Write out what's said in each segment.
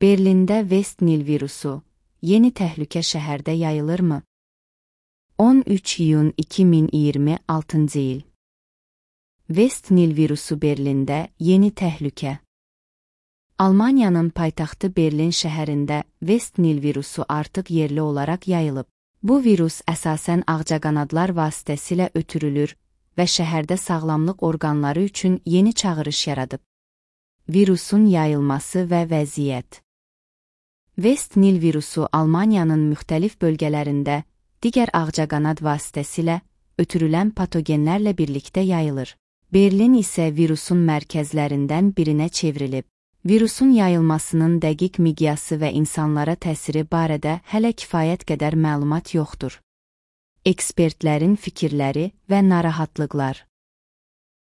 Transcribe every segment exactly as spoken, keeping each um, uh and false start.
Berlində West Nil virusu, yeni təhlükə şəhərdə yayılırmı? on üç iyun iki min iyirmi altıncı il. West Nil virusu Berlində yeni təhlükə. Almaniyanın paytaxtı Berlin şəhərində West Nil virusu artıq yerli olaraq yayılıb. Bu virus əsasən ağcaqanadlar vasitəsilə ötürülür və şəhərdə sağlamlıq orqanları üçün yeni çağırış yaradıb. Virusun yayılması və vəziyyət. West Nil virusu Almaniyanın müxtəlif bölgələrində digər ağcaqanad vasitəsilə ötürülən patogenlərlə birlikdə yayılır. Berlin isə virusun mərkəzlərindən birinə çevrilib. Virusun yayılmasının dəqiq miqyası və insanlara təsiri barədə hələ kifayət qədər məlumat yoxdur. Ekspertlərin fikirləri və narahatlıqlar.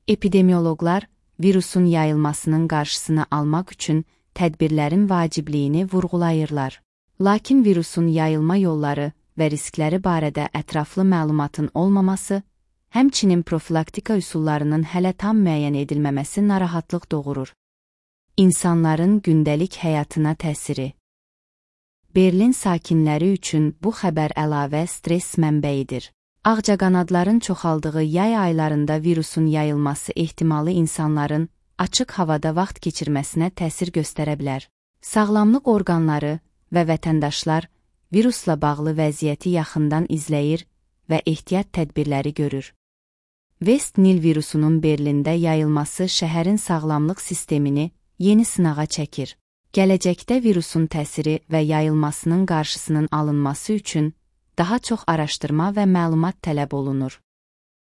Epidemioloqlar virusun yayılmasının qarşısını almaq üçün tədbirlərin vacibliyini vurğulayırlar. Lakin virusun yayılma yolları və riskləri barədə ətraflı məlumatın olmaması, həmçinin profilaktika üsullarının hələ tam müəyyən edilməməsi narahatlıq doğurur. İnsanların gündəlik həyatına təsiri. Berlin sakinləri üçün bu xəbər əlavə stres mənbəyidir. Ağcaqanadların çoxaldığı yay aylarında virusun yayılması ehtimalı insanların açıq havada vaxt keçirməsinə təsir göstərə bilər. Sağlamlıq orqanları və vətəndaşlar virusla bağlı vəziyyəti yaxından izləyir və ehtiyat tədbirləri görür. West Nil virusunun Berlində yayılması şəhərin sağlamlıq sistemini yeni sınağa çəkir. Gələcəkdə virusun təsiri və yayılmasının qarşısının alınması üçün daha çox araşdırma və məlumat tələb olunur.